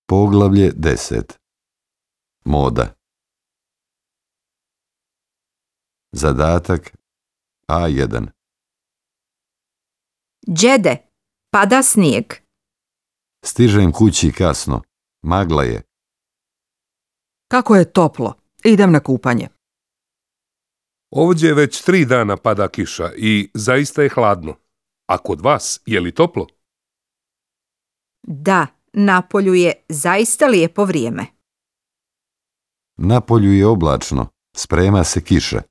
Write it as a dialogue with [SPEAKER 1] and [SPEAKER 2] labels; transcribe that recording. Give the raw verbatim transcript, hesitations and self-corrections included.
[SPEAKER 1] Poglavlje deset. Moda. Zadatak A jedan.
[SPEAKER 2] Đede, pada snijeg.
[SPEAKER 1] Stižem kući kasno. Magla je.
[SPEAKER 3] Kako je toplo. Idem na kupanje.
[SPEAKER 4] Ovdje već tri dana pada kiša i zaista je hladno. A kod vas je li toplo?
[SPEAKER 2] Da, napolju je zaista lijepo vrijeme.
[SPEAKER 1] Na polju je oblačno. Sprema se kiša.